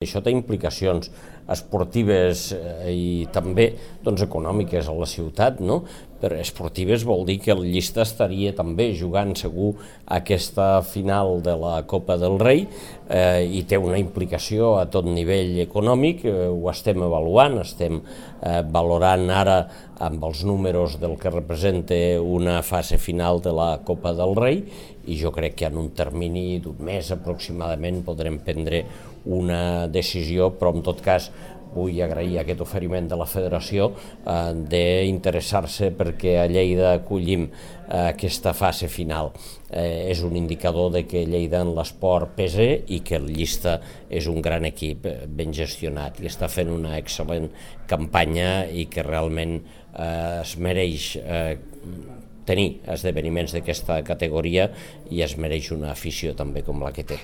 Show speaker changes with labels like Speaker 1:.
Speaker 1: Això té implicacions esportives i també econòmiques a la ciutat, no? Per esportives vol dir que el Llista estaria també jugant segur aquesta final de la Copa del Rei i té una implicació a tot nivell econòmic, ho estem avaluant, estem valorant ara amb els números del que representa una fase final de la Copa del Rei i jo crec que en un termini d'un mes aproximadament podrem prendre una decisió, però en tot cas vull agrair aquest oferiment de la Federació d'interessar-se perquè a Lleida acollim aquesta fase final. És un indicador de que Lleida en l'esport pesa i que el Llista és un gran equip ben gestionat i està fent una excel·lent campanya i que realment es mereix tenir esdeveniments d'aquesta categoria i es mereix una afició també com la que té.